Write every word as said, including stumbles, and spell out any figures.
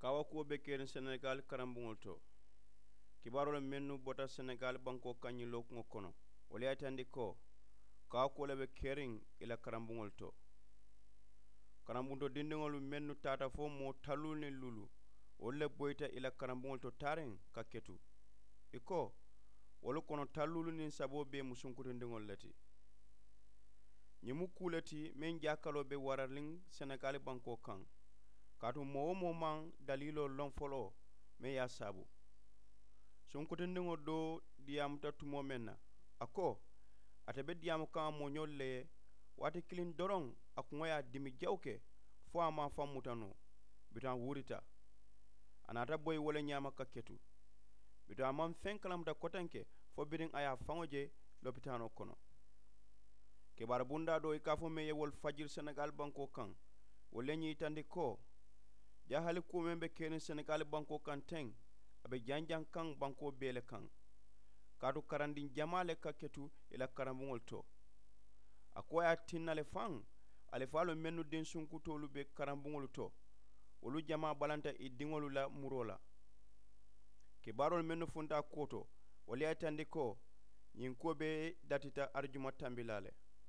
Kaawakuwo be keriŋ senegaali karambuŋolu to. Kibaaroolu mennu bota senegaali bankoo kaŋ ñiŋ lookuŋo kono, wolu ye a yitandi ko kaawakuwo le be keriŋ ì la karambuŋolu to. Karambuŋo to dindiŋolu mennu taata fo moo talluulu niŋ luulu, wolu le boyita ì la karambuŋolu to taariŋ ka ketu. Ì ko wolu kono talluulu niŋ saboo bee mu sunkutindiŋolu le ti. Ñiŋ mu kuu le ti meŋ jaakaloo be warariŋ senegaali bankoo kaŋ, kaatu moo-wo-moo maŋ daliiloo loŋ foloo meŋ ye a saabu. Sunkutindiŋo doo diyaamuta tumoo meŋ na, a ko ate be diyaamu kaŋ a mooñoolu le ye, waati kiliŋ doroŋ a kuŋo ye a dimi jawu ke fo a maŋ a faŋ muta noo. Bituŋ a wuurita, a naata boyi wo le ñaama ka ketu. Bituŋ a maŋ feŋ kalamuta kotenke fo biriŋ a ye a faŋo je lopitaanoo kono. Kibaari bundaa doo i ka a fo meŋ ye wolu fajiri senegaali bankoo kaŋ, wolu le ñiŋ yitandi ko jaahaali kuwo meŋ be keriŋ senegaali bankoo kaŋ teŋ, a be janjaŋ kaŋ bankoo bee le kaŋ. Kaatu karandiŋ jamaa le ka ketu ì la karambuŋolu to. A ko a ye a tinna le faŋ, alifaalu mennu diŋ sunkutoolu be karambuŋolu to, wolu jamaa balanta ì diŋolu la muroo la. Kibaaroolu mennu funta a kuwo to, wolu ye a yitandi ko ñiŋ kuwo bee datita arijuma tambilaa le.